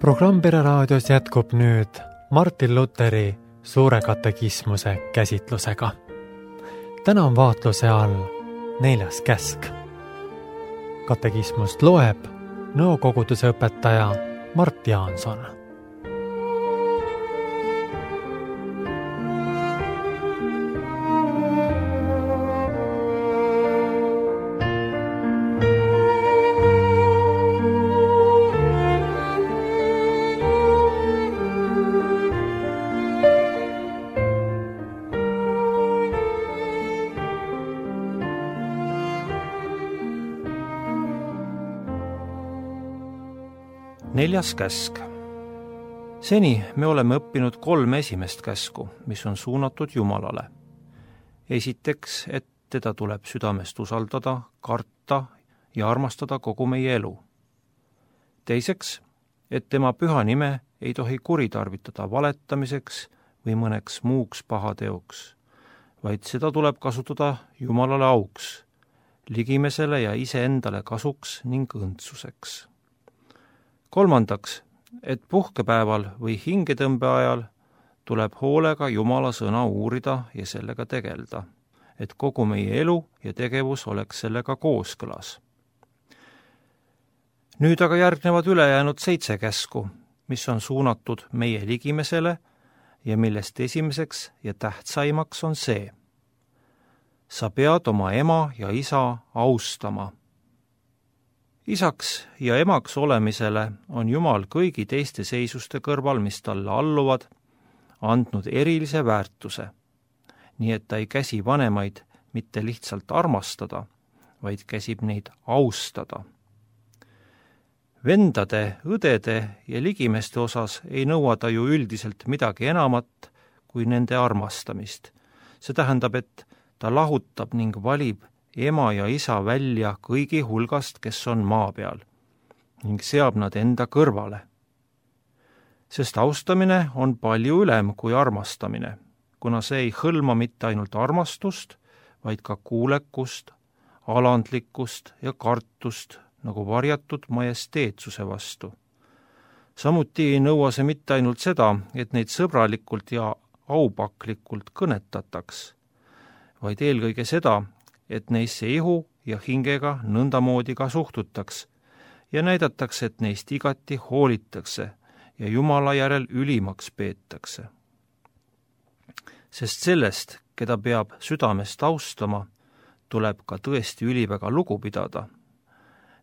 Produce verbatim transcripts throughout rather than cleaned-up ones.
Programm Pere Raadios jätkub nüüd Martin Luteri suure katekismuse käsitlusega. Täna on vaatluse all neljas käsk. Katekismust loeb nõukoguduse õpetaja Mart Jaanson. Neljas käsk. Seni me oleme õppinud kolm esimest käsku, mis on suunatud Jumalale. Esiteks, et teda tuleb südamest usaldada, karta ja armastada kogu meie elu. Teiseks, et tema püha nime ei tohi kuritarvitada valetamiseks või mõneks muuks pahateoks, vaid seda tuleb kasutada Jumalale auks, ligimesele ja iseendale kasuks ning õndsuseks. Kolmandaks, et puhkepäeval või hingetõmbe ajal tuleb hoolega Jumala sõna uurida ja sellega tegelda, et kogu meie elu ja tegevus oleks sellega kooskõlas. Nüüd aga järgnevad ülejäänud seitse käsku, mis on suunatud meie ligimesele ja millest esimeseks ja tähtsaimaks on see. Sa pead oma ema ja isa austama. Isaks ja emaks olemisele on Jumal kõigi teiste seisuste kõrval, mis talle alluvad, andnud erilise väärtuse, nii et ta ei käsi vanemaid mitte lihtsalt armastada, vaid käsib neid austada. Vendade, õdede ja ligimeste osas ei nõua ta ju üldiselt midagi enamat kui nende armastamist. See tähendab, et ta lahutab ning valib ema ja isa välja kõigi hulgast, kes on maa peal, ning seab nad enda kõrvale. Sest austamine on palju ülem kui armastamine, kuna see ei hõlma mitte ainult armastust, vaid ka kuulekust, alandlikkust ja kartust nagu varjatud majesteetsuse vastu. Samuti ei nõua see mitte ainult seda, et neid sõbralikult ja aupaklikult kõnetataks, vaid eelkõige seda, et neisse ihu ja hingega nõndamoodi ka suhtutaks ja näidatakse, et neist igati hoolitakse ja Jumala järel ülimaks peetakse. Sest sellest, keda peab südamest austama, tuleb ka tõesti üliväga lugu pidada,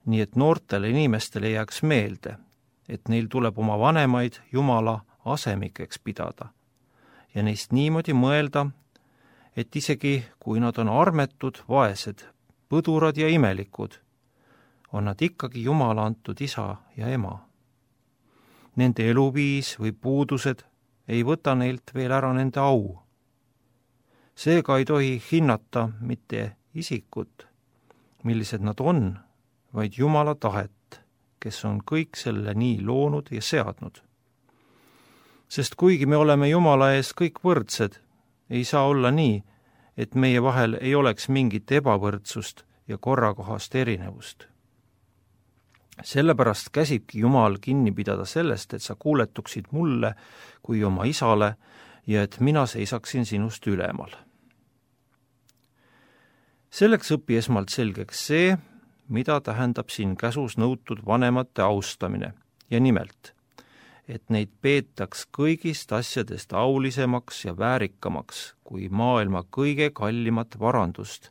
nii et noortele inimestele jääks meelde, et neil tuleb oma vanemaid Jumala asemikeks pidada ja neist niimoodi mõelda, et isegi kui nad on armetud, vaesed, põdurad ja imelikud, on nad ikkagi Jumala antud isa ja ema. Nende eluviis või puudused ei võta neilt veel ära nende au. Seega ei tohi hinnata mitte isikut, millised nad on, vaid Jumala tahet, kes on kõik selle nii loonud ja seadnud. Sest kuigi me oleme Jumala ees kõik võrdsed, ei saa olla nii, et meie vahel ei oleks mingit ebavõrdsust ja korrakohast erinevust. Sellepärast käsibki Jumal kinni pidada sellest, et sa kuuletuksid mulle kui oma isale ja et mina seisaksin sinust ülemal. Selleks õpi esmalt selgeks see, mida tähendab siin käsus nõutud vanemate austamine ja nimelt, et neid peetaks kõigist asjadest aulisemaks ja väärikamaks kui maailma kõige kallimat varandust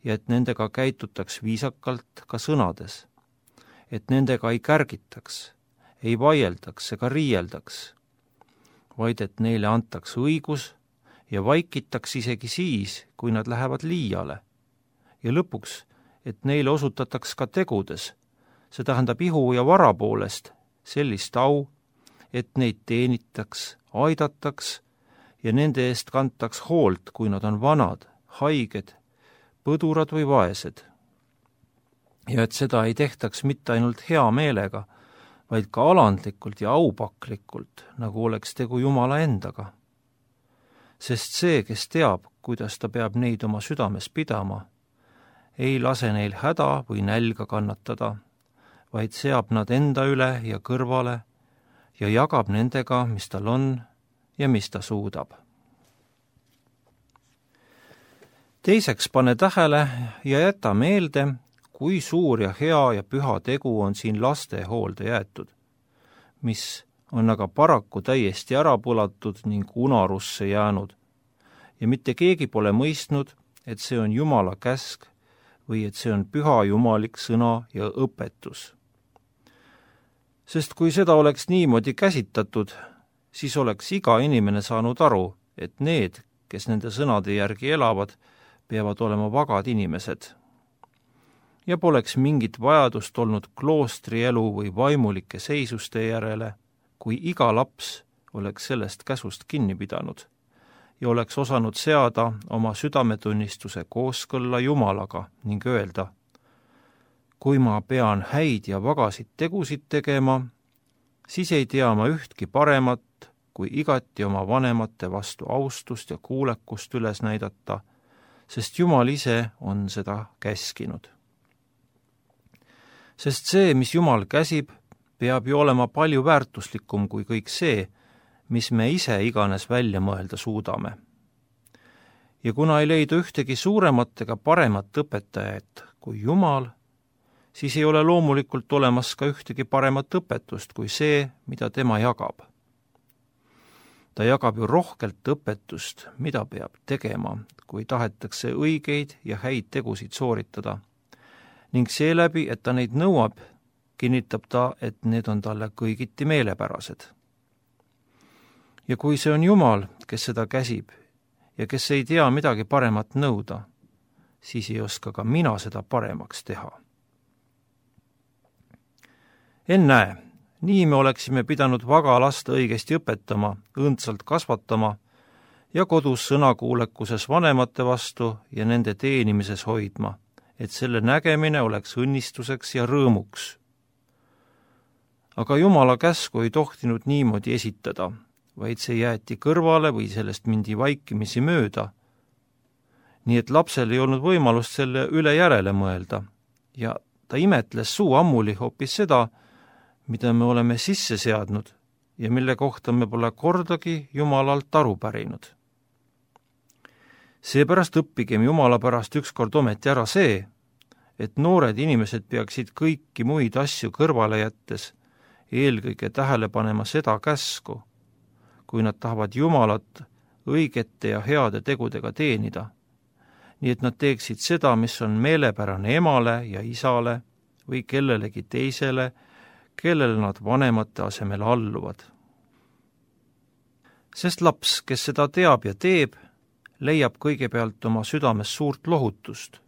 ja et nendega käitutaks viisakalt ka sõnades, et nendega ei kärgitaks, ei vaieldaks ega riieldaks, vaid et neile antaks õigus ja vaikitaks isegi siis, kui nad lähevad liiale ja lõpuks, et neile osutataks ka tegudes, see tähendab ihu ja vara poolest sellist au, et neid teenitaks, aidataks ja nende eest kantaks hoolt, kui nad on vanad, haiged, põdurad või vaesed. Ja et seda ei tehtaks mitte ainult hea meelega, vaid ka alandlikult ja aupaklikult, nagu oleks tegu Jumala endaga. Sest see, kes teab, kuidas ta peab neid oma südames pidama, ei lase neil häda või nälga kannatada, vaid seab nad enda üle ja kõrvale, ja jagab nendega, mis tal on ja mis ta suudab. Teiseks pane tähele ja jäta meelde, kui suur ja hea ja püha tegu on siin laste hoolde jäetud, mis on aga paraku täiesti ära põlatud ning unarusse jäänud ja mitte keegi pole mõistnud, et see on Jumala käsk või et see on püha jumalik sõna ja õpetus. Sest kui seda oleks niimoodi käsitatud, siis oleks iga inimene saanud aru, et need, kes nende sõnade järgi elavad, peavad olema vagad inimesed. Ja poleks mingit vajadust olnud kloostrielu või vaimulike seisuste järele, kui iga laps oleks sellest käsust kinni pidanud ja oleks osanud seada oma südametunnistuse kooskõlla Jumalaga ning öelda, kui ma pean häid ja vagasid tegusid tegema, siis ei tea ma ühtki paremat, kui igati oma vanemate vastu austust ja kuulekust üles näidata, sest Jumal ise on seda käskinud. Sest see, mis Jumal käsib, peab ju olema palju väärtuslikum kui kõik see, mis me ise iganes välja mõelda suudame. Ja kuna ei leidu ühtegi suuremat ega paremat õpetajat kui Jumal, siis ei ole loomulikult olemas ka ühtegi paremat õpetust kui see, mida tema jagab. Ta jagab ju rohkelt õpetust, mida peab tegema, kui tahetakse õigeid ja häid tegusid sooritada. Ning seeläbi, et ta neid nõuab, kinnitab ta, et need on talle kõigiti meelepärased. Ja kui see on Jumal, kes seda käsib ja kes ei tea midagi paremat nõuda, siis ei oska ka mina seda paremaks teha. Ennäe, nii me oleksime pidanud vaga last õigesti õpetama, õndsalt kasvatama ja kodus sõnakuulekuses vanemate vastu ja nende teenimises hoidma, et selle nägemine oleks õnnistuseks ja rõõmuks. Aga Jumala käsku ei tohtinud niimoodi esitada, vaid see jäeti kõrvale või sellest mindi vaikimisi mööda, nii et lapsel ei olnud võimalust selle üle järele mõelda ja ta imetles suu ammuli hoopis seda, mida me oleme sisse seadnud ja mille kohta me pole kordagi Jumalalt aru pärinud. Seepärast õppigem Jumala pärast ükskord ometi ära see, et noored inimesed peaksid kõiki muid asju kõrvale jättes eelkõige tähele panema seda käsku, kui nad tahavad Jumalat õigete ja heade tegudega teenida, nii et nad teeksid seda, mis on meelepärane emale ja isale või kellelegi teisele, kellele nad vanemate asemel alluvad. Sest laps, kes seda teab ja teeb, leiab kõigepealt oma südames suurt lohutust,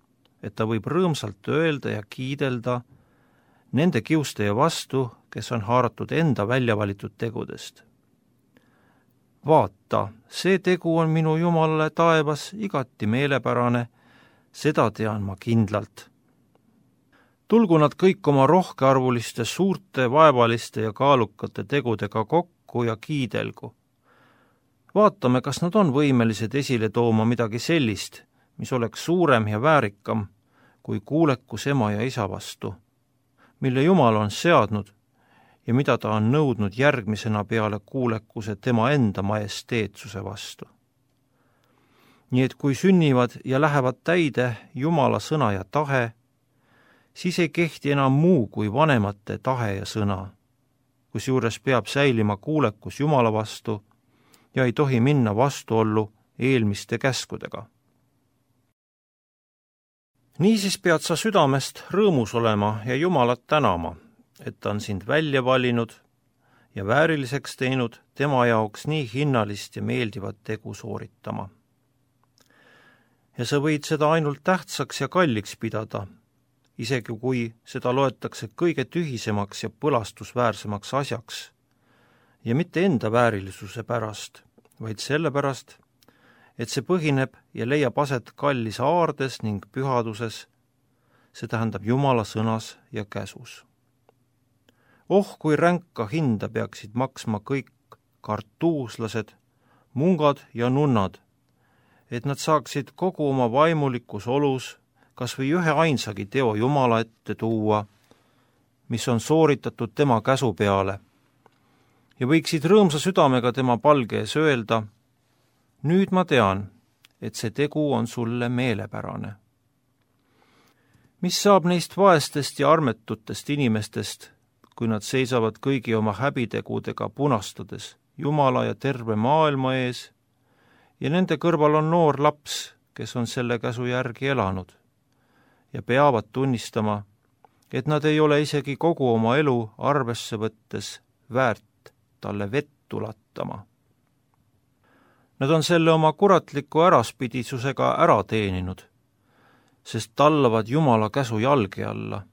et ta võib rõõmsalt öelda ja kiidelda nende kiustaja vastu, kes on haaratud enda välja valitud tegudest. Vaata, see tegu on minu Jumalale taevas igati meelepärane, seda tean ma kindlalt. Tulgu nad kõik oma rohkearvuliste, suurte, vaevaliste ja kaalukate tegudega kokku ja kiidelgu. Vaatame, kas nad on võimelised esile tooma midagi sellist, mis oleks suurem ja väärikam kui kuulekus ema ja isa vastu, mille Jumal on seadnud ja mida ta on nõudnud järgmisena peale kuulekuse tema enda majesteetsuse vastu. Nii et kui sünnivad ja lähevad täide Jumala sõna ja tahe, siis ei kehti enam muu kui vanemate tahe ja sõna, kusjuures peab säilima kuulekus Jumala vastu ja ei tohi minna vastuollu eelmiste käskudega. Niisiis pead sa südamest rõõmus olema ja Jumalat tänama, et ta on sind välja valinud ja vääriliseks teinud tema jaoks nii hinnalist ja meeldivat tegu sooritama. Ja sa võid seda ainult tähtsaks ja kalliks pidada, isegi kui seda loetakse kõige tühisemaks ja põlastusväärsemaks asjaks, ja mitte enda väärilisuse pärast, vaid sellepärast, et see põhineb ja leiab aset kallis aardes ning pühaduses, see tähendab Jumala sõnas ja käsus. Oh, kui ränka hinda peaksid maksma kõik kartuuslased, mungad ja nunnad, et nad saaksid kogu oma vaimulikus olus kas või ühe ainsagi teo Jumala ette tuua, mis on sooritatud tema käsu peale, ja võiksid rõõmsa südamega tema palge ees öelda, nüüd ma tean, et see tegu on sulle meelepärane. Mis saab neist vaestest ja armetutest inimestest, kui nad seisavad kõigi oma häbitegudega punastades Jumala ja terve maailma ees ja nende kõrval on noor laps, kes on selle käsu järgi elanud ja peavad tunnistama, et nad ei ole isegi kogu oma elu arvesse võttes väärt talle vett ulatama. Nad on selle oma kuratliku äraspidisusega ära teeninud, sest tallavad Jumala käsu jalge alla,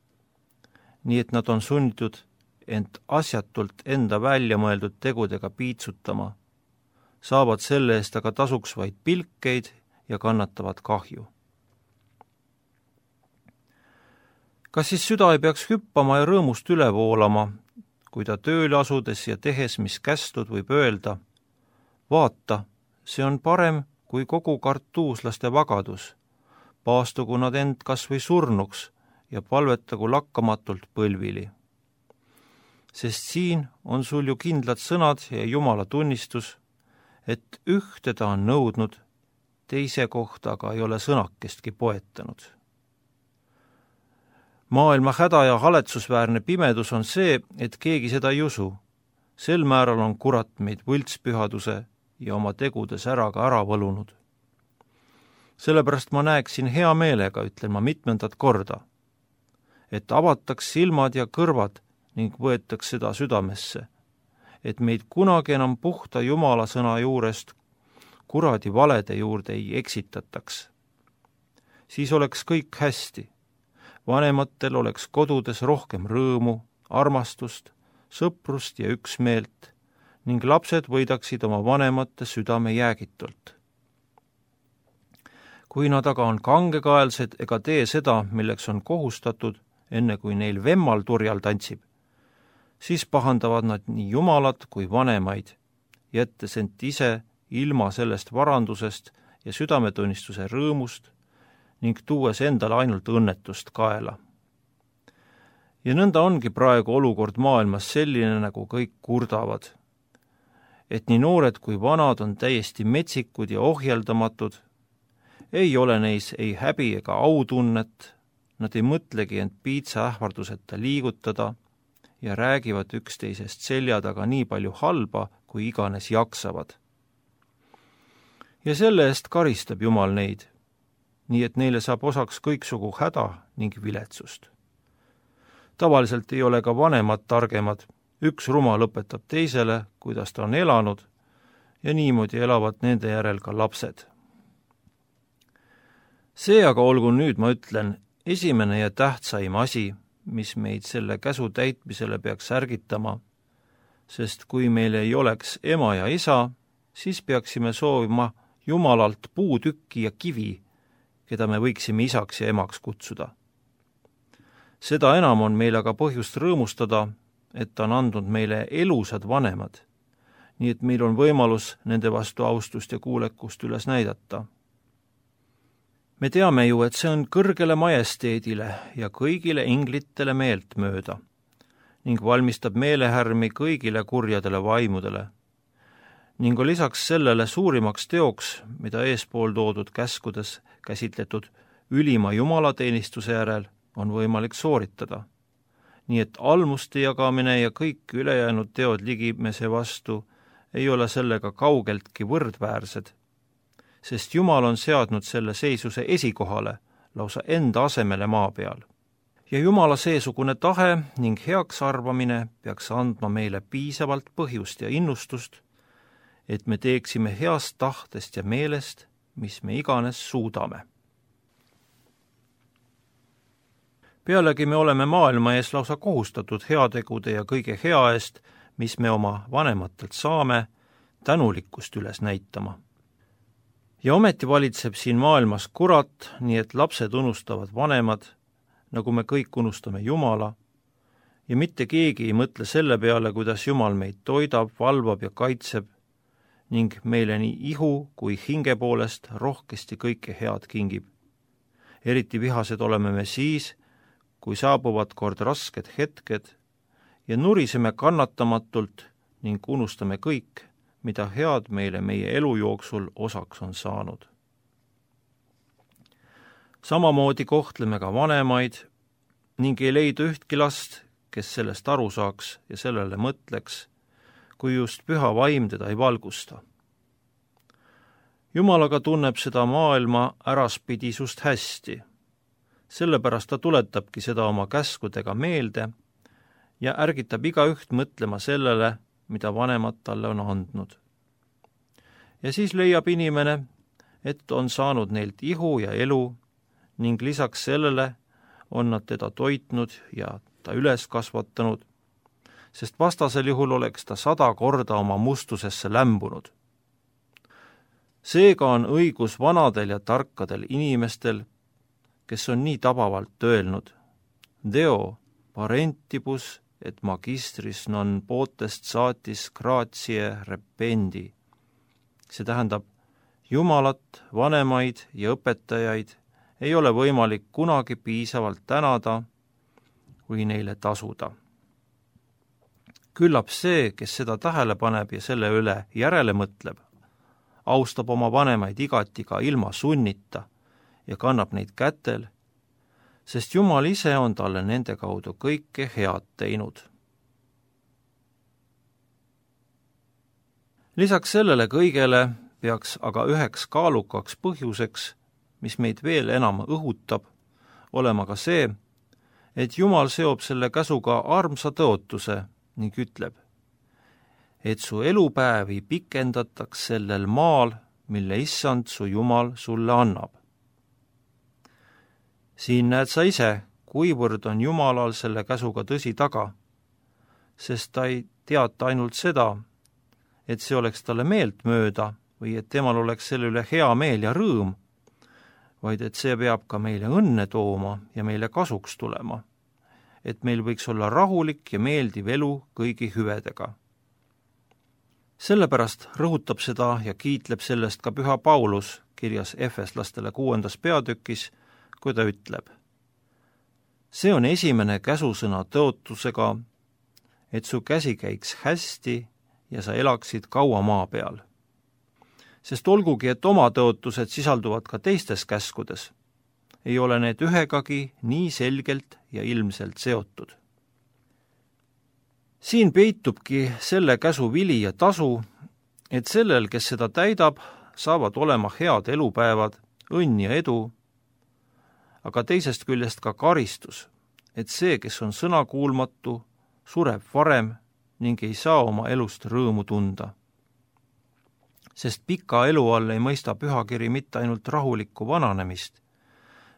nii et nad on sunnitud ent asjatult enda välja mõeldud tegudega piitsutama, saavad selle eest aga tasuks vaid pilkeid ja kannatavad kahju. Kas siis süda ei peaks hüppama ja rõõmust üle voolama, kui ta tööle asudes ja tehes, mis kästud, võib öelda, vaata, see on parem kui kogu kartuuslaste vagadus, paastugu nad end kas või surnuks ja palvetagu lakkamatult põlvili. Sest siin on sul ju kindlad sõnad ja Jumala tunnistus, et ühte ta on nõudnud, teise kohta aga ei ole sõnakestki poetanud. Maailma häda ja haletsusväärne pimedus on see, et keegi seda ei usu. Sel määral on kurat meid võltspühaduse ja oma tegudes ära ka ära võlunud. Sellepärast ma näeksin hea meelega, ütlen ma mitmendat korda, et avataks silmad ja kõrvad ning võetaks seda südamesse, et meid kunagi enam puhta Jumala sõna juurest kuradi valede juurde ei eksitataks. Siis oleks kõik hästi. Vanematel oleks kodudes rohkem rõõmu, armastust, sõprust ja üksmeelt ning lapsed võidaksid oma vanemate südame jäägitult. Kui nad aga on kangekaelsed ega tee seda, milleks on kohustatud, enne kui neil vemmal turjal tantsib, siis pahandavad nad nii Jumalat kui vanemaid, jättes ent ise ilma sellest varandusest ja südametunnistuse rõõmust ning tuues endale ainult õnnetust kaela. Ja nõnda ongi praegu olukord maailmas selline, nagu kõik kurdavad, et nii noored kui vanad on täiesti metsikud ja ohjeldamatud, ei ole neis ei häbi ega autunnet, nad ei mõtlegi end piitsa ähvarduseta liigutada ja räägivad üksteisest selja taga nii palju halba, kui iganes jaksavad. Ja selle eest karistab Jumal neid, nii et neile saab osaks kõiksugu häda ning viletsust. Tavaliselt ei ole ka vanemad targemad, üks rumal õpetab teisele, kuidas ta on elanud, ja niimoodi elavad nende järel ka lapsed. See aga olgu nüüd, ma ütlen, esimene ja tähtsaim asi, mis meid selle käsu täitmisele peaks ärgitama, sest kui meil ei oleks ema ja isa, siis peaksime soovima Jumalalt puutükki ja kivi, keda me võiksime isaks ja emaks kutsuda. Seda enam on meil aga põhjust rõõmustada, et ta on andnud meile elusad vanemad, nii et meil on võimalus nende vastu austust ja kuulekust üles näidata. Me teame ju, et see on kõrgele majesteedile ja kõigile inglitele meelt mööda ning valmistab meelehärmi kõigile kurjadele vaimudele ning on lisaks sellele suurimaks teoks, mida eespool toodud käskudes käsitletud ülima jumalateenistuse järel on võimalik sooritada. Nii et almuste jagamine ja kõik ülejäänud teod ligimese vastu ei ole sellega kaugeltki võrdväärsed, sest Jumal on seadnud selle seisuse esikohale, lausa enda asemele maa peal. Ja Jumala seesugune tahe ning heaks arvamine peaks andma meile piisavalt põhjust ja innustust, et me teeksime heast tahtest ja meelest, mis me iganes suudame. Pealegi me oleme maailma ees lausa kohustatud heategude ja kõige hea eest, mis me oma vanematelt saame, tänulikkust üles näitama. Ja ometi valitseb siin maailmas kurat, nii et lapsed unustavad vanemad, nagu me kõik unustame Jumala, ja mitte keegi ei mõtle selle peale, kuidas Jumal meid toidab, valvab ja kaitseb, ning meile nii ihu kui hinge poolest rohkesti kõike head kingib. Eriti vihased oleme me siis, kui saabuvad kord rasked hetked ja nuriseme kannatamatult, ning unustame kõik, mida head meile meie elu jooksul osaks on saanud. Samamoodi kohtleme ka vanemaid ning ei leidu ühtki last, kes sellest aru saaks ja sellele mõtleks, kui just püha vaim teda ei valgusta. Jumal aga tunneb seda maailma äraspidisust hästi, sellepärast ta tuletabki seda oma käskudega meelde ja ärgitab igaüht mõtlema sellele, mida vanemad talle on andnud. Ja siis leiab inimene, et on saanud neilt ihu ja elu ning lisaks sellele on nad teda toitnud ja ta üles kasvatanud, sest vastasel juhul oleks ta sada korda oma mustusesse lämbunud. Seega on õigus vanadel ja tarkadel inimestel, kes on nii tabavalt öelnud, Deo parentibus et magistris non potest saatis gratie rependi. See tähendab, Jumalat, vanemaid ja õpetajaid ei ole võimalik kunagi piisavalt tänada või neile tasuda. Küllap see, kes seda tähele paneb ja selle üle järele mõtleb, austab oma vanemaid igati ka ilma sunnita ja kannab neid kätel, sest Jumal ise on talle nende kaudu kõike head teinud. Lisaks sellele kõigele peaks aga üheks kaalukaks põhjuseks, mis meid veel enam õhutab, olema ka see, et Jumal seob selle käsuga armsa tõotuse ning ütleb, et su elupäevi pikendataks sellel maal, mille issand su Jumal sulle annab. Siin näed sa ise, kuivõrd on Jumalal selle käsuga tõsi taga, sest ta ei teata ainult seda, et see oleks talle meelt mööda või et temal oleks selle üle hea meel ja rõõm, vaid et see peab ka meile õnne tooma ja meile kasuks tulema, et meil võiks olla rahulik ja meeldiv elu kõigi hüvedega. Sellepärast rõhutab seda ja kiitleb sellest ka püha Paulus kirjas Efeslastele kuuendas peatükis, kui ta ütleb, see on esimene käsusõna tõotusega, et su käsi käiks hästi ja sa elaksid kaua maa peal. Sest olgugi, et oma tõotused sisalduvad ka teistes käskudes, ei ole need ühegagi nii selgelt ja ilmselt seotud. Siin peitubki selle käsu vili ja tasu, et sellel, kes seda täidab, saavad olema head elupäevad, õnn ja edu, aga teisest küljest ka karistus, et see, kes on sõnakuulmatu, sureb varem ning ei saa oma elust rõõmu tunda. Sest pika elu all ei mõista pühakiri mitte ainult rahulikku vananemist,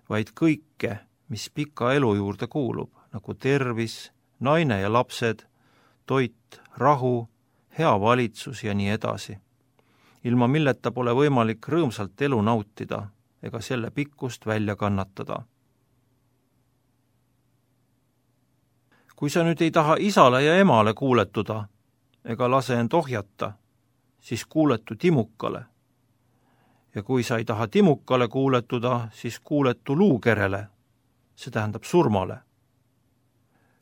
vaid kõike, mis pika elu juurde kuulub, nagu tervis, naine ja lapsed, toit, rahu, hea valitsus ja nii edasi, ilma milleta pole võimalik rõõmsalt elu nautida ega selle pikkust välja kannatada. Kui sa nüüd ei taha isale ja emale kuuletuda ega lase end ohjata, siis kuuletu timukale. Ja kui sa ei taha timukale kuuletuda, siis kuuletu luukerele, see tähendab surmale.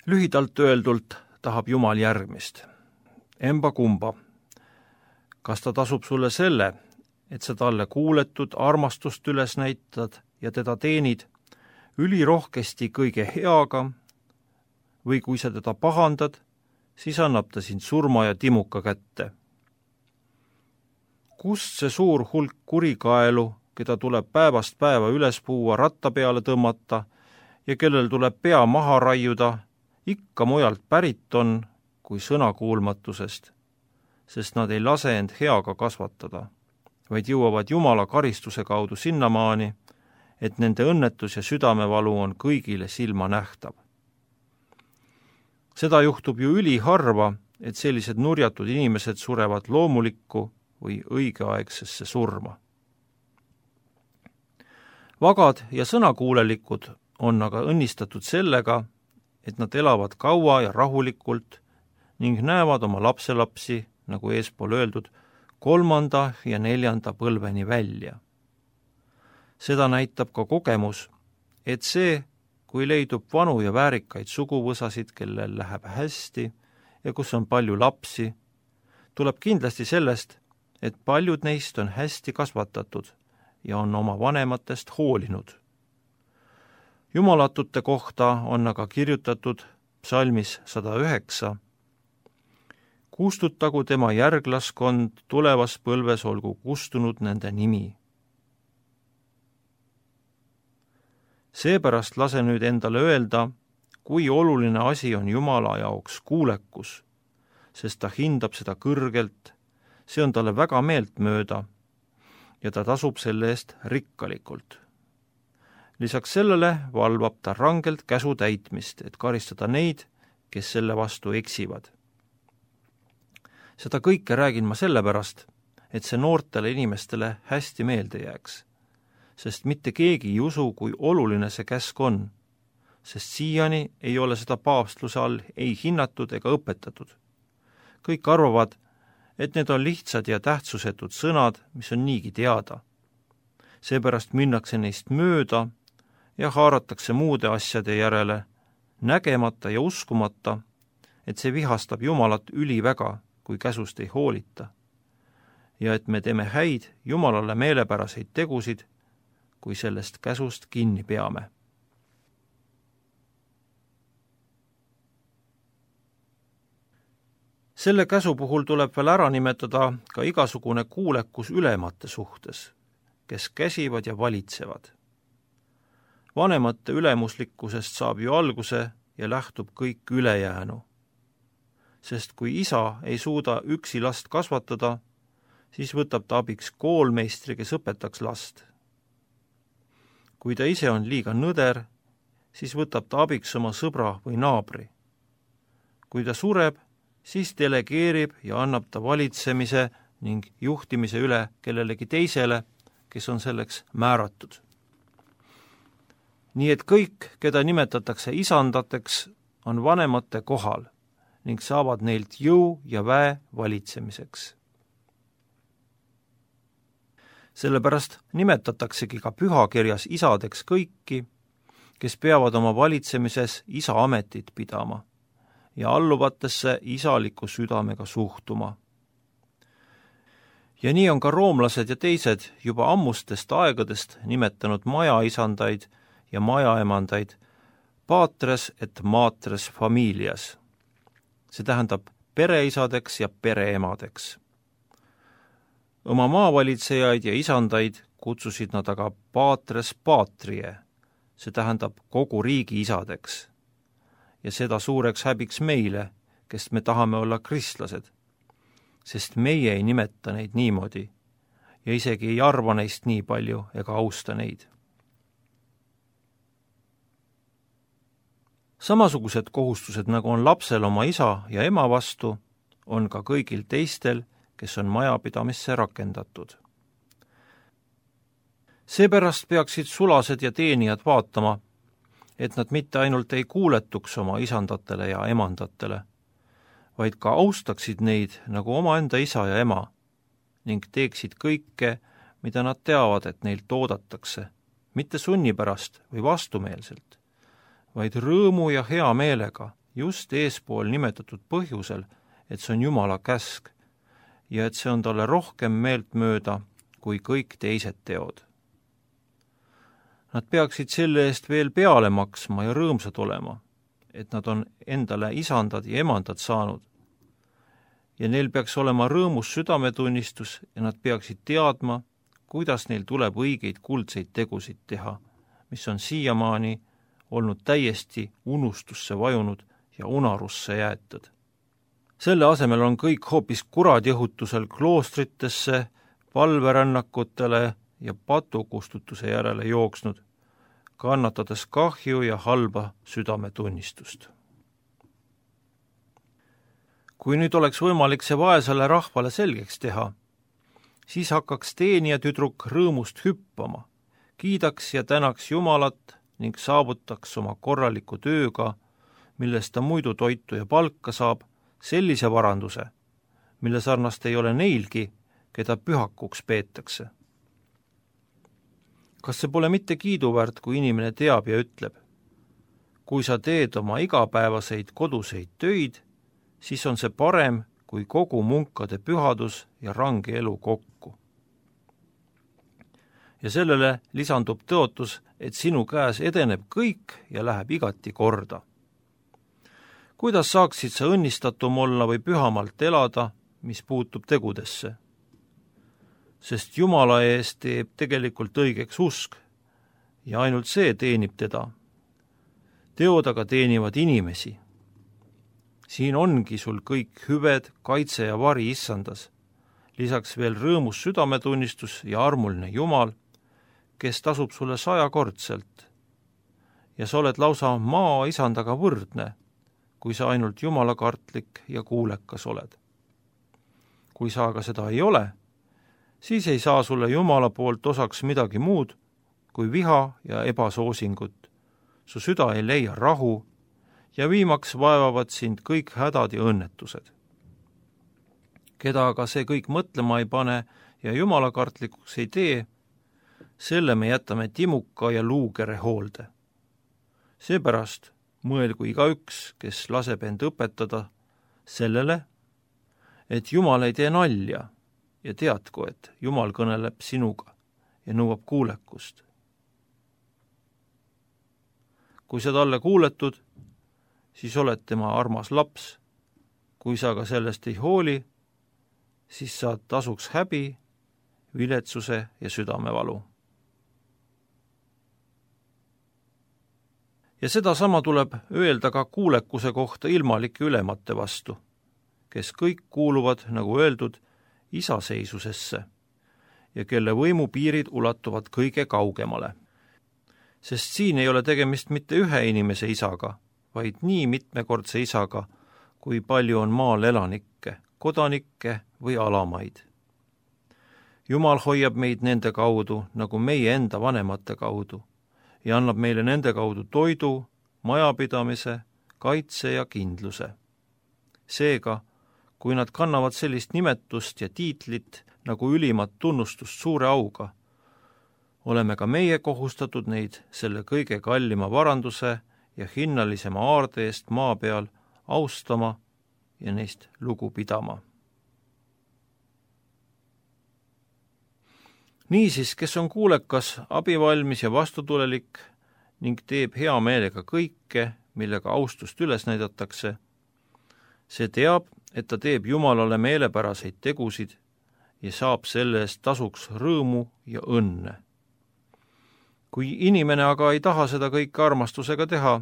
Lühidalt öeldult tahab Jumal järgmist. Emba kumba. Kas ta tasub sulle selle, et sa talle kuuletud armastust üles näitad ja teda teenid ülirohkesti kõige heaga, või kui sa teda pahandad, siis annab ta sind surma ja timuka kätte. Kust see suur hulk kurikaelu, keda tuleb päevast päeva üles puua, ratta peale tõmmata ja kellel tuleb pea maha raiuda, ikka mujalt pärit on kui sõnakuulmatusest, sest nad ei lase end heaga kasvatada, vaid jõuavad Jumala karistuse kaudu sinnamaani, et nende õnnetus ja südamevalu on kõigile silma nähtav. Seda juhtub ju üliharva, et sellised nurjatud inimesed surevad loomulikku või õigeaegsesse surma. Vagad ja sõnakuulelikud on aga õnnistatud sellega, et nad elavad kaua ja rahulikult ning näevad oma lapselapsi, nagu eespool öeldud, kolmanda ja neljanda põlveni välja. Seda näitab ka kogemus, et see, kui leidub vanu ja väärikaid suguvõsasid, kellel läheb hästi ja kus on palju lapsi, tuleb kindlasti sellest, et paljud neist on hästi kasvatatud ja on oma vanematest hoolinud. Jumalatute kohta on aga kirjutatud psalmis sada üheksa. Kustutagu tema järglaskond, tulevas põlves olgu kustunud nende nimi. Seepärast lase nüüd endale öelda, kui oluline asi on Jumala jaoks kuulekus, sest ta hindab seda kõrgelt, see on talle väga meeltmööda ja ta tasub selle eest rikkalikult. Lisaks sellele valvab ta rangelt käsu täitmist, et karistada neid, kes selle vastu eksivad. Seda kõike räägin ma sellepärast, et see noortele inimestele hästi meelde jääks, sest mitte keegi ei usu, kui oluline see käsk on, sest siiani ei ole seda paavstluse all ei hinnatud ega õpetatud. Kõik arvavad, et need on lihtsad ja tähtsusetud sõnad, mis on niigi teada. Seepärast minnakse neist mööda ja haaratakse muude asjade järele, nägemata ja uskumata, et see vihastab Jumalat üliväga, kui käsust ei hoolita, ja et me teeme häid Jumalale meelepäraseid tegusid, kui sellest käsust kinni peame. Selle käsu puhul tuleb veel ära nimetada ka igasugune kuulekus ülemate suhtes, kes käsivad ja valitsevad. Vanemate ülemuslikkusest saab ju alguse ja lähtub kõik ülejäänu. Sest kui isa ei suuda üksi last kasvatada, siis võtab ta abiks koolmeistri, kes õpetaks last. Kui ta ise on liiga nõder, siis võtab ta abiks oma sõbra või naabri. Kui ta sureb, siis delegeerib ja annab ta valitsemise ning juhtimise üle kellelegi teisele, kes on selleks määratud. Nii et kõik, keda nimetatakse isandateks, on vanemate kohal ning saavad neilt jõu ja väe valitsemiseks. Sellepärast nimetataksegi ka pühakirjas isadeks kõiki, kes peavad oma valitsemises isa ametit pidama ja alluvatesse isaliku südamega suhtuma. Ja nii on ka roomlased ja teised juba ammustest aegadest nimetanud majaisandaid ja majaemandaid patres et matres familias. See tähendab pereisadeks ja pereemadeks. Oma maavalitsejaid ja isandaid kutsusid nad aga patres patrie, see tähendab kogu riigi isadeks. Ja seda suureks häbiks meile, kes me tahame olla kristlased, sest meie ei nimeta neid niimoodi ja isegi ei arva neist nii palju ega austa neid. Samasugused kohustused, nagu on lapsel oma isa ja ema vastu, on ka kõigil teistel, kes on majapidamisse rakendatud. Seepärast peaksid sulased ja teenijad vaatama, et nad mitte ainult ei kuuletuks oma isandatele ja emandatele, vaid ka austaksid neid nagu omaenda isa ja ema ning teeksid kõike, mida nad teavad, et neilt oodatakse, mitte sunni pärast või vastumeelselt, vaid rõõmu ja hea meelega just eespool nimetatud põhjusel, et see on Jumala käsk ja et see on talle rohkem meeltmööda kui kõik teised teod. Nad peaksid selle eest veel peale maksma ja rõõmsad olema, et nad on endale isandad ja emandad saanud. Ja neil peaks olema rõõmus südametunnistus ja nad peaksid teadma, kuidas neil tuleb õigeid kuldseid tegusid teha, mis on siiamaani olnud täiesti unustusse vajunud ja unarusse jäetud. Selle asemel on kõik hoopis kuradjõhutusel kloostritesse, palverännakutele ja patukustutuse järele jooksnud, kannatades kahju ja halba südametunnistust. Kui nüüd oleks võimalik see vaesele rahvale selgeks teha, siis hakkaks teenija tüdruk rõõmust hüppama, kiidaks ja tänaks Jumalat ning saavutaks oma korraliku tööga, millest ta muidu toitu ja palka saab, sellise varanduse, mille sarnast ei ole neilgi, keda pühakuks peetakse. Kas see pole mitte kiiduväärt, kui inimene teab ja ütleb, kui sa teed oma igapäevaseid koduseid töid, siis on see parem, kui kogu munkade pühadus ja range elu kokku. Ja sellele lisandub tõotus, et sinu käes edeneb kõik ja läheb igati korda. Kuidas saaksid sa õnnistatum olla või pühamalt elada, mis puutub tegudesse? Sest Jumala eest teeb tegelikult õigeks usk ja ainult see teenib teda. Teod aga teenivad inimesi. Siin ongi sul kõik hüved, kaitse ja vari issandas, lisaks veel rõõmus südametunnistus ja armuline Jumal, kes tasub sulle sajakordselt. Ja sa oled lausa maa isandaga võrdne, kui sa ainult jumalakartlik ja kuulekas oled. Kui sa aga seda ei ole, siis ei saa sulle Jumala poolt osaks midagi muud kui viha ja ebasoosingut. Su süda ei leia rahu ja viimaks vaevavad sind kõik hädad ja õnnetused. Keda aga see kõik mõtlema ei pane ja jumalakartlikuks ei tee, selle me jätame timuka ja luugere hoolde. Seepärast mõelgu igaüks, kes laseb end õpetada sellele, et Jumal ei tee nalja ja teadku, et Jumal kõneleb sinuga ja nõuab kuulekust. Kui sa talle kuuletud, siis oled tema armas laps. Kui sa aga sellest ei hooli, siis saad tasuks häbi, viletsuse ja südamevalu. Ja seda sama tuleb öelda ka kuulekuse kohta ilmalike ülemate vastu, kes kõik kuuluvad, nagu öeldud, isaseisusesse ja kelle võimupiirid ulatuvad kõige kaugemale. Sest siin ei ole tegemist mitte ühe inimese isaga, vaid nii mitmekordse isaga, kui palju on maal elanikke, kodanikke või alamaid. Jumal hoiab meid nende kaudu, nagu meie enda vanemate kaudu, ja annab meile nende kaudu toidu, majapidamise, kaitse ja kindluse. Seega, kui nad kannavad sellist nimetust ja tiitlit nagu ülimat tunnustust suure auga, oleme ka meie kohustatud neid selle kõige kallima varanduse ja hinnalisema aarde eest maa peal austama ja neist lugu pidama. Niisiis, kes on kuulekas, abivalmis ja vastutulelik ning teeb hea meelega kõike, millega austust üles näidatakse, see teab, et ta teeb Jumalale meelepäraseid tegusid ja saab selle eest tasuks rõõmu ja õnne. Kui inimene aga ei taha seda kõike armastusega teha,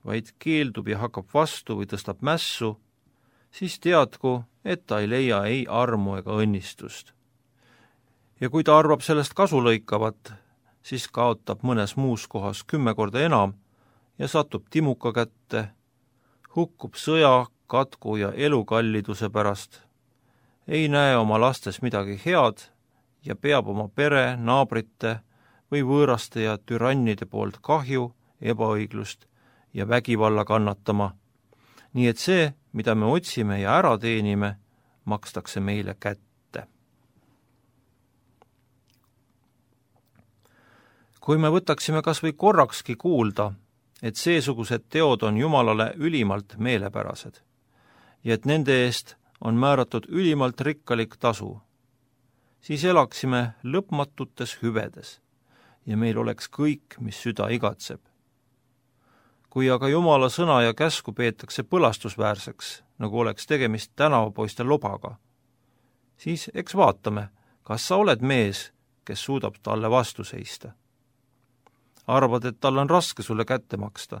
vaid keeldub ja hakkab vastu või tõstab mässu, siis teadku, et ta ei leia ei armu ega õnnistust. Ja kui ta arvab sellest kasu lõikavat, siis kaotab mõnes muus kohas kümme korda enam ja satub timuka kätte, hukkub sõja, katku ja elukalliduse pärast, ei näe oma lastes midagi head ja peab oma pere, naabrite või võõraste ja türannide poolt kahju, ebaõiglust ja vägivalla kannatama, nii et see, mida me otsime ja ära teenime, makstakse meile kätte. Kui me võtaksime kas või korrakski kuulda, et seesugused teod on Jumalale ülimalt meelepärased ja et nende eest on määratud ülimalt rikkalik tasu, siis elaksime lõpmatutes hüvedes ja meil oleks kõik, mis süda igatseb. Kui aga Jumala sõna ja käsku peetakse põlastusväärseks, nagu oleks tegemist tänavapoiste lobaga, siis eks vaatame, kas sa oled mees, kes suudab talle vastu seista. Arvad, et tal on raske sulle kätte maksta.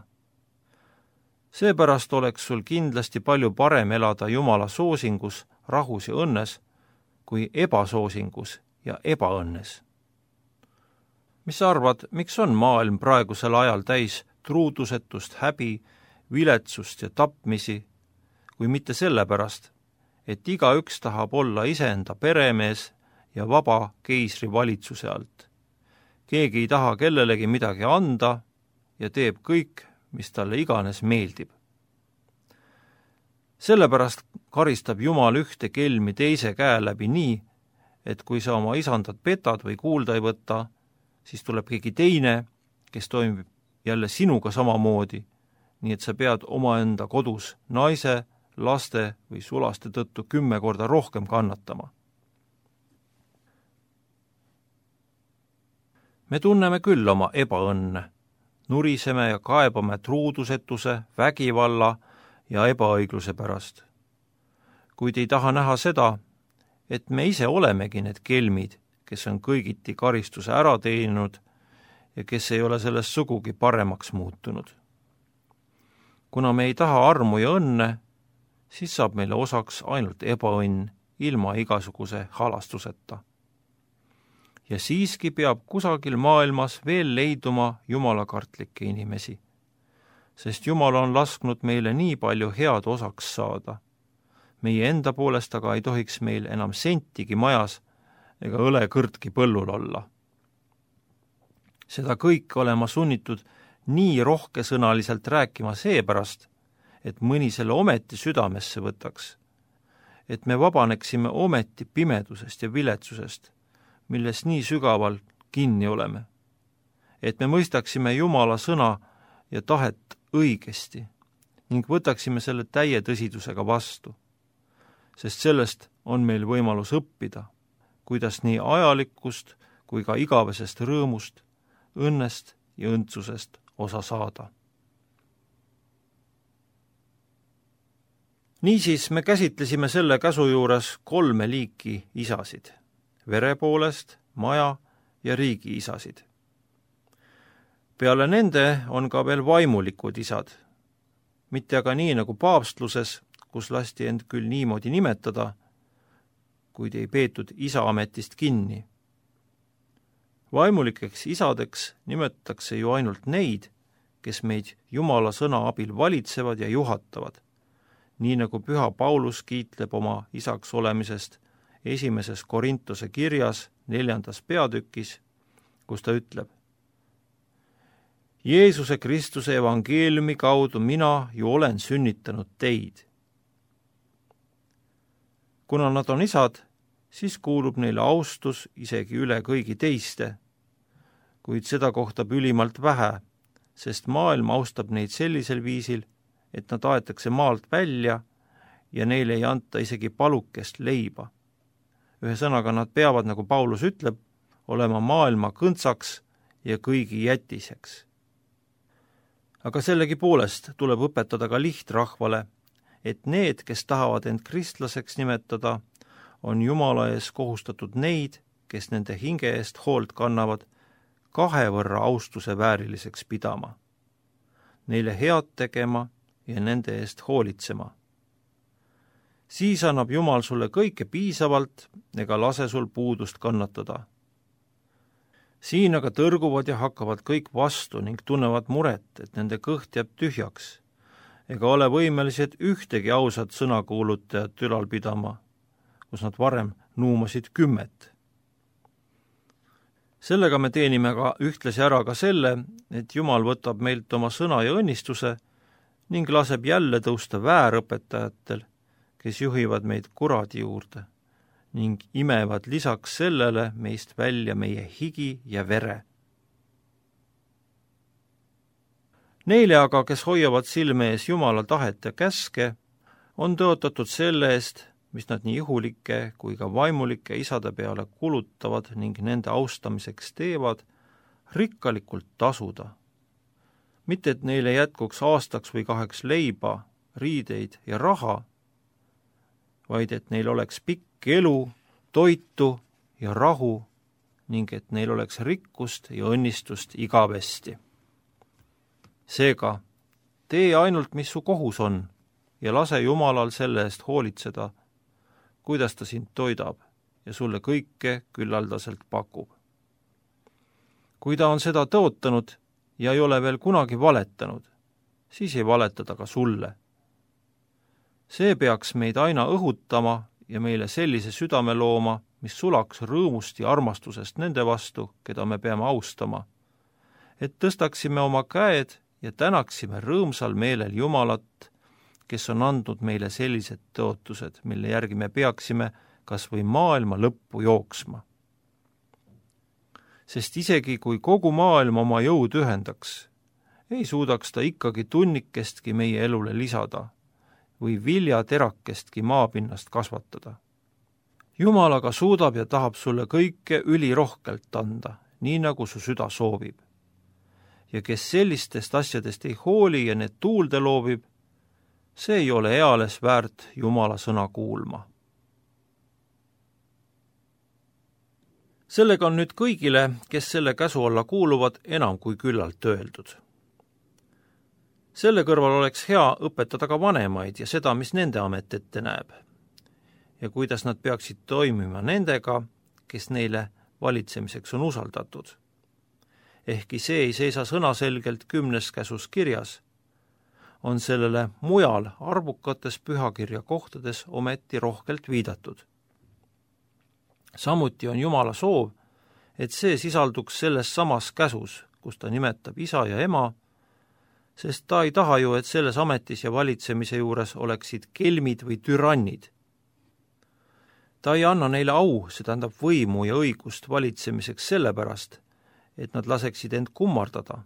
Seepärast oleks sul kindlasti palju parem elada Jumala soosingus, rahus ja õnnes, kui ebasoosingus ja ebaõnnes. Mis sa arvad, miks on maailm praegusel ajal täis truudusetust, häbi, viletsust ja tapmisi, kui mitte sellepärast, et igaüks tahab olla iseenda peremees ja vaba keisri valitsuse alt. Keegi ei taha kellelegi midagi anda ja teeb kõik, mis talle iganes meeldib. Sellepärast karistab Jumal ühte kelmi teise käe läbi nii, et kui sa oma isandat petad või kuulda ei võta, siis tuleb keegi teine, kes toimib jälle sinuga samamoodi, nii et sa pead omaenda kodus naise, laste või sulaste tõttu kümme korda rohkem kannatama. Me tunneme küll oma ebaõnne, nuriseme ja kaebame truudusetuse, vägivalla ja ebaõigluse pärast. Kuid ei taha näha seda, et me ise olemegi need kelmid, kes on kõigiti karistuse ära teeninud ja kes ei ole sellest sugugi paremaks muutunud. Kuna me ei taha armu ja õnne, siis saab meile osaks ainult ebaõnn ilma igasuguse halastuseta. Ja siiski peab kusagil maailmas veel leiduma jumalakartlikke inimesi, sest Jumal on lasknud meile nii palju head osaks saada. Meie enda poolest aga ei tohiks meil enam sentigi majas ega õlekõrtki põllul olla. Seda kõike olema sunnitud nii rohkesõnaliselt rääkima seepärast, et mõni selle ometi südamesse võtaks, et me vabaneksime ometi pimedusest ja viletsusest, milles nii sügaval kinni oleme, et me mõistaksime Jumala sõna ja tahet õigesti ning võtaksime selle täie tõsidusega vastu, sest sellest on meil võimalus õppida, kuidas nii ajalikust kui ka igavesest rõõmust, õnnest ja õndsusest osa saada. Niisiis me käsitlesime selle käsu juures kolme liiki isasid, vere poolest, maja ja riigi isasid. Peale nende on ka veel vaimulikud isad, mitte aga nii nagu paavstluses, kus lasti end küll niimoodi nimetada, kuid ei peetud isa ametist kinni. Vaimulikeks isadeks nimetatakse ju ainult neid, kes meid Jumala sõna abil valitsevad ja juhatavad, nii nagu püha Paulus kiitleb oma isaks olemisest esimeses Korintuse kirjas neljandas peatükis, kus ta ütleb: Jeesuse Kristuse evangeeliumi kaudu mina ju olen sünnitanud teid. Kuna nad on isad, siis kuulub neile austus isegi üle kõigi teiste, kuid seda kohtab ülimalt vähe, sest maailm austab neid sellisel viisil, et nad aetakse maalt välja ja neile ei anta isegi palukest leiba. Ühesõnaga nad peavad, nagu Paulus ütleb, olema maailma kõntsaks ja kõigi jätiseks. Aga sellegi poolest tuleb õpetada ka lihtrahvale, et need, kes tahavad end kristlaseks nimetada, on Jumala ees kohustatud neid, kes nende hinge eest hoolt kannavad, kahe võrra austuse vääriliseks pidama, neile head tegema ja nende eest hoolitsema. Siis annab Jumal sulle kõike piisavalt ega lase sul puudust kannatada. Siin aga tõrguvad ja hakkavad kõik vastu ning tunnevad muret, et nende kõht jääb tühjaks, ega ole võimelised ühtegi ausat sõnakuulutajat ülal pidama, kus nad varem nuumasid kümmet. Sellega me teenime ka ühtlasi ära ka selle, et Jumal võtab meilt oma sõna ja õnnistuse ning laseb jälle tõusta väärõpetajatel, kes juhivad meid kuradi juurde ning imevad lisaks sellele meist välja meie higi ja vere. Neile aga, kes hoiavad silme ees Jumala tahet ja käske, on tõotatud selle eest, mis nad nii ihulike kui ka vaimulike isade peale kulutavad ning nende austamiseks teevad, rikkalikult tasuda. Mitte, et neile jätkuks aastaks või kaheks leiba, riideid ja raha, vaid et neil oleks pikk elu, toitu ja rahu ning et neil oleks rikkust ja õnnistust igavesti. Seega, tee ainult, mis su kohus on ja lase Jumalal selle eest hoolitseda, kuidas ta sind toidab ja sulle kõike küllaldaselt pakub. Kui ta on seda tõotanud ja ei ole veel kunagi valetanud, siis ei valetada ka sulle. See peaks meid aina õhutama ja meile sellise südame looma, mis sulaks rõõmust ja armastusest nende vastu, keda me peame austama, et tõstaksime oma käed ja tänaksime rõõmsal meelel Jumalat, kes on andnud meile sellised tõotused, mille järgi me peaksime kas või maailma lõppu jooksma. Sest isegi kui kogu maailm oma jõud ühendaks, ei suudaks ta ikkagi tunnikestki meie elule lisada või viljaterakestki maapinnast kasvatada. Jumal aga suudab ja tahab sulle kõike ülirohkelt anda, nii nagu su süda soovib. Ja kes sellistest asjadest ei hooli ja need tuulde loobib, see ei ole eales väärt Jumala sõna kuulma. Sellega on nüüd kõigile, kes selle käsu alla kuuluvad, enam kui küllalt öeldud. Selle kõrval oleks hea õpetada ka vanemaid ja seda, mis nende amet ette näeb. Ja kuidas nad peaksid toimima nendega, kes neile valitsemiseks on usaldatud. Ehkki see ei seisa sõnaselgelt kümnes käsus kirjas, on sellele mujal arvukates pühakirja kohtades ometi rohkelt viidatud. Samuti on Jumala soov, et see sisalduks selles samas käsus, kus ta nimetab isa ja ema, sest ta ei taha ju, et selles ametis ja valitsemise juures oleksid kelmid või türannid. Ta ei anna neile au, see tähendab võimu ja õigust valitsemiseks sellepärast, et nad laseksid end kummardada,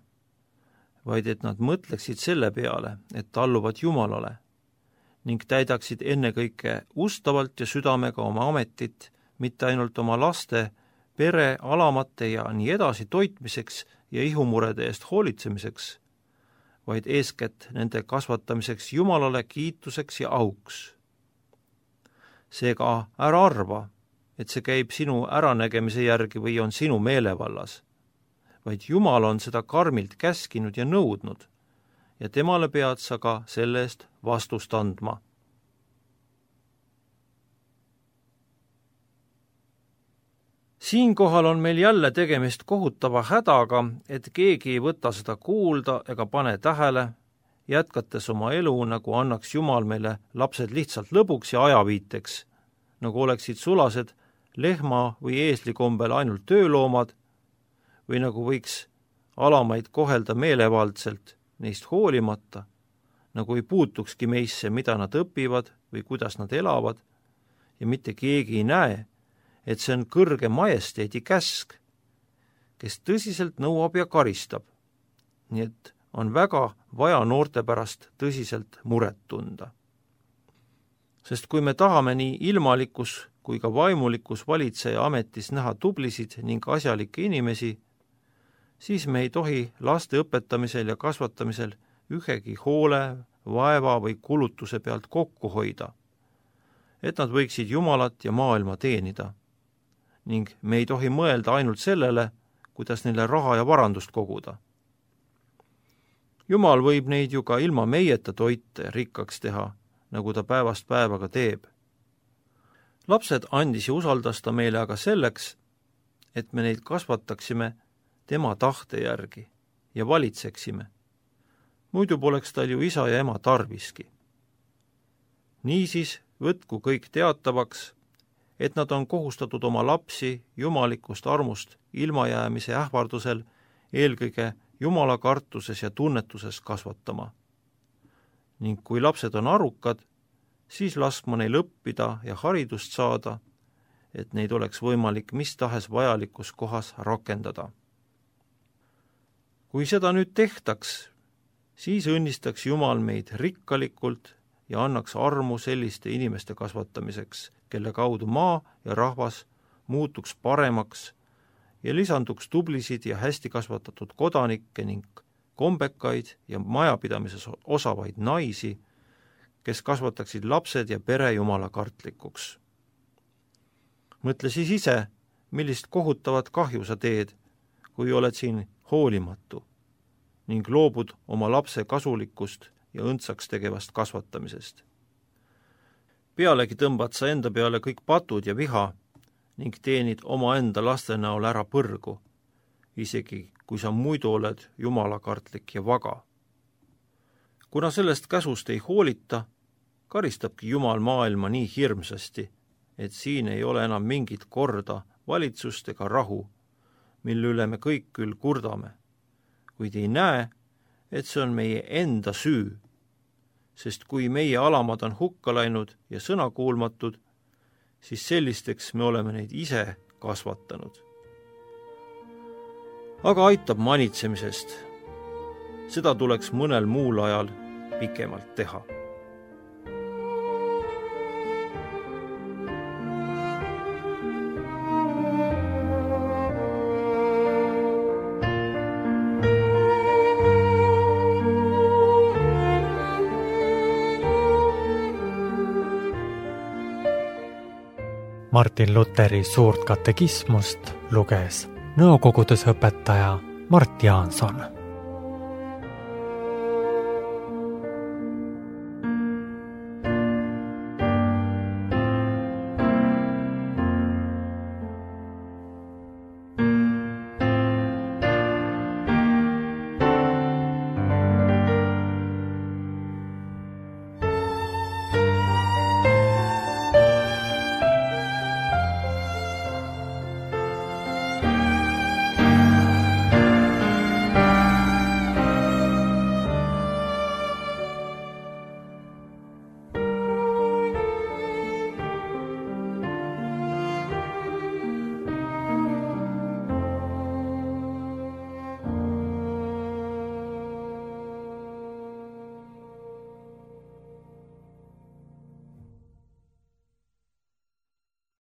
vaid et nad mõtleksid selle peale, et talluvad Jumalale ning täidaksid ennekõike ustavalt ja südamega oma ametit, mitte ainult oma laste, pere, alamate ja nii edasi toitmiseks ja ihumurede eest hoolitsemiseks, vaid eeskätt nende kasvatamiseks Jumalale kiituseks ja auks. Seega ära arva, et see käib sinu äranägemise järgi või on sinu meelevallas, vaid Jumal on seda karmilt käskinud ja nõudnud ja temale pead sa ka selle eest vastust andma. Siinkohal on meil jälle tegemist kohutava hädaga, et keegi ei võta seda kuulda ega pane tähele, jätkates oma elu, nagu annaks Jumal meile lapsed lihtsalt lõbuks ja ajaviiteks, nagu oleksid sulased lehma või eesli kombel ainult tööloomad, või nagu võiks alamaid kohelda meelevaldselt, neist hoolimata, nagu ei puutukski meisse, mida nad õpivad või kuidas nad elavad, ja mitte keegi ei näe, et see on kõrge majesteedi käsk, kes tõsiselt nõuab ja karistab. Nii et on väga vaja noorte pärast tõsiselt muret tunda. Sest kui me tahame nii ilmalikus kui ka vaimulikus valitseja ametis näha tublisid ning asjalikke inimesi, siis me ei tohi laste õpetamisel ja kasvatamisel ühegi hoole, vaeva või kulutuse pealt kokku hoida, et nad võiksid Jumalat ja maailma teenida. Ning me ei tohi mõelda ainult sellele, kuidas neile raha ja varandust koguda. Jumal võib neid ju ka ilma meieta toite rikkaks teha, nagu ta päevast päevaga teeb. Lapsed andis ja usaldas ta meile aga selleks, et me neid kasvataksime tema tahte järgi ja valitseksime. Muidu poleks tal ju isa ja ema tarviski. Niisiis võtku kõik teatavaks, et nad on kohustatud oma lapsi jumalikust armust ilmajäämise ähvardusel eelkõige Jumala kartuses ja tunnetuses kasvatama. Ning kui lapsed on arukad, siis laskma neil õppida ja haridust saada, et neid oleks võimalik mis tahes vajalikus kohas rakendada. Kui seda nüüd tehtaks, siis õnnistaks Jumal meid rikkalikult ja annaks armu selliste inimeste kasvatamiseks, kelle kaudu maa ja rahvas muutuks paremaks ja lisanduks tublisid ja hästi kasvatatud kodanikke ning kombekaid ja majapidamises osavaid naisi, kes kasvataksid lapsed ja pere Jumala kartlikuks. Mõtle siis ise, millist kohutavat kahju sa teed, kui oled siin hoolimatu ning loobud oma lapse kasulikust ja õndsaks tegevast kasvatamisest. Pealegi tõmbad sa enda peale kõik patud ja viha ning teenid oma enda laste näol ära põrgu, isegi kui sa muidu oled jumalakartlik ja vaga. Kuna sellest käsust ei hoolita, karistabki Jumal maailma nii hirmsasti, et siin ei ole enam mingit korda, valitsust ega rahu, mille üle me kõik küll kurdame, kuid ei näe, et see on meie enda süü, sest kui meie alamad on hukka läinud ja sõnakuulmatud, siis sellisteks me oleme neid ise kasvatanud. Aga aitab manitsemisest. Seda tuleks mõnel muul ajal pikemalt teha. Martin Luteri suurt katekismust luges nõukogudes õpetaja Mart Jaanson.